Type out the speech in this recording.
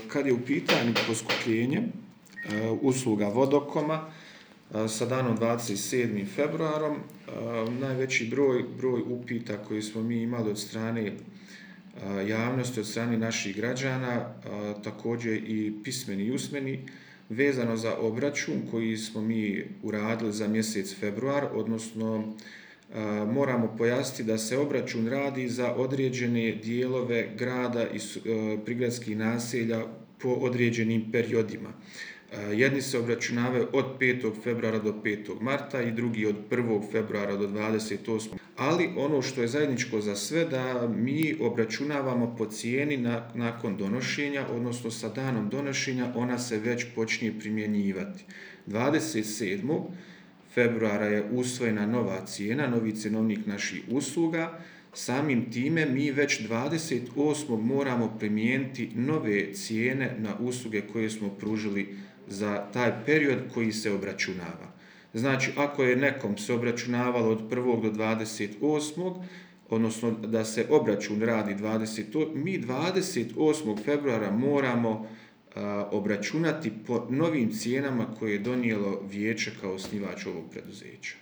Kad je u pitanju poskupljenje usluga vodokoma sa danom 27. februarom, najveći broj upita koji smo mi imali od strane javnosti, od strane naših građana, također i pismeni i usmeni, vezano za obračun koji smo mi uradili za mjesec februar, odnosno moramo pojasniti da se obračun radi za određene dijelove grada i prigradskih naselja po određenim periodima. Jedni se obračunavaju od 5. februara do 5. marta i drugi od 1. februara do 28. Ali ono što je zajedničko za sve da mi obračunavamo po cijeni nakon donošenja, odnosno sa danom donošenja ona se već počinje primjenjivati. 27. februara je usvojena nova cijena, novi cjenovnik naših usluga. Samim time mi već 28. moramo primijeniti nove cijene na usluge koje smo pružili za taj period koji se obračunava. Znači, ako je nekom se obračunavalo od 1. do 28. odnosno da se obračun radi 20. mi 28. februara moramo obračunati po novim cijenama koje je donijelo vijeće kao osnivač ovog preduzeća.